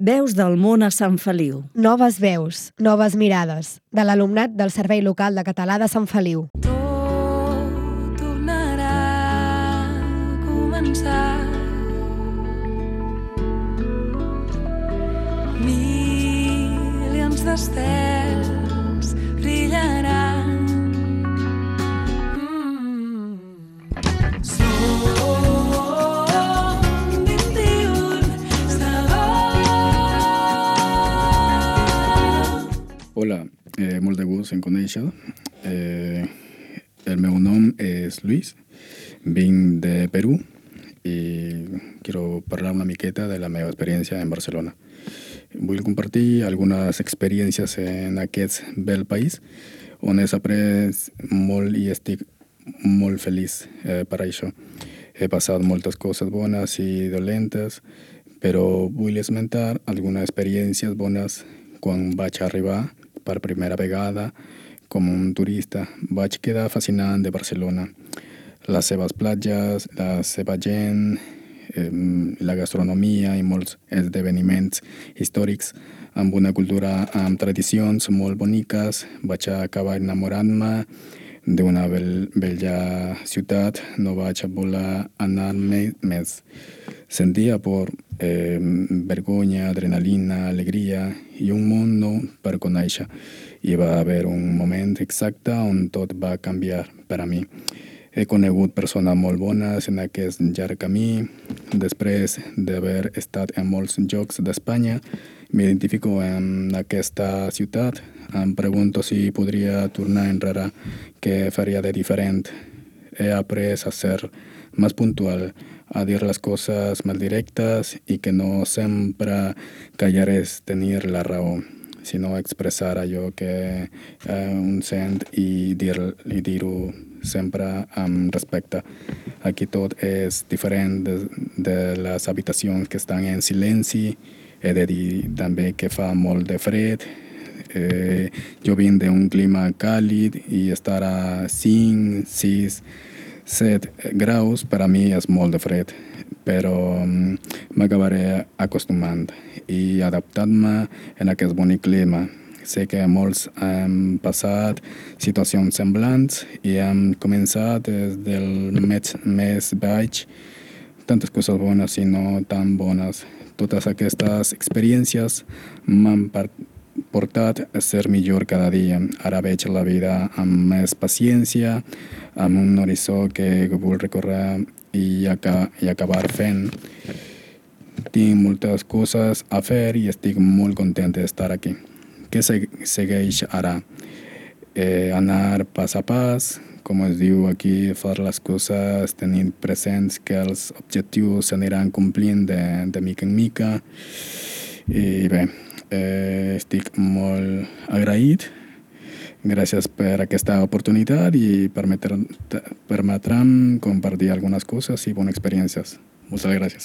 Veus del món a Sant Feliu. Noves veus, noves mirades, de l'alumnat del Servei Local de Català de Sant Feliu. Tot tornarà a començar. Milions d'estels brillaran. Som 21 segons. Hola, molt de gust en conèixer. El meu nom és Luis, vinc de Perú i quiero parlar una miqueta de la meva experiència en Barcelona. Vull compartir algunes experiències en aquest bel país on he après molt i estic molt feliç per això. He passat moltes coses bones i dolentes, però vull esmentar algunes experiències bones quan vaig arribar per primera vegada com un turista. Vaig quedar fascinant de Barcelona. Les seves platges, la seva gent, la gastronomia i molts esdeveniments històrics amb una cultura amb tradicions molt boniques. Vaig acabar enamorant-me d'una bella ciutat. No vaig voler anar més. Sentia por, vergonya, adrenalina, alegria i un món nou per conèixer. I va haver un moment exacte on tot va canviar per a mi. He conegut persones molt bones en aquest llarg camí. Després d'haver estat en molts llocs d'Espanya, m'identifico en aquesta ciutat. Em pregunto si podria tornar enrere, què faria de diferent. He après a ser més puntual, a dir les coses més directes i que no sempre callar és tenir la raó, sinó expressar allò que un sent i dir-ho sempre amb respecte. Aquí tot és diferent de les habitacions que estan en silenci. He de dir també que fa molt de fred. Jo vinc d'un clima càlid i estar a 5, 6, 7 graus per a mi és molt de fred, però m'acabaré acostumant i adaptant-me en aquest bonic clima. Sé que molts hem passat situacions semblants i hem començat des del mes baix, tantes coses bones i no tan bones. Totes aquestes experiències m'han portat a ser millor cada dia. Ara veig la vida amb més paciència, amb un horitzó que vull recórrer i acabar fent. Tinc moltes coses a fer i estic molt content d'estar aquí. Què segueix ara? Anar pas a pas, com es diu aquí, fer les coses tenint presents que els objectius s'aniran complint de mica en mica. I bé, estic molt agraït. Gràcies per aquesta oportunitat i permetre'm compartir algunes coses i bones experiències. Moltes gràcies.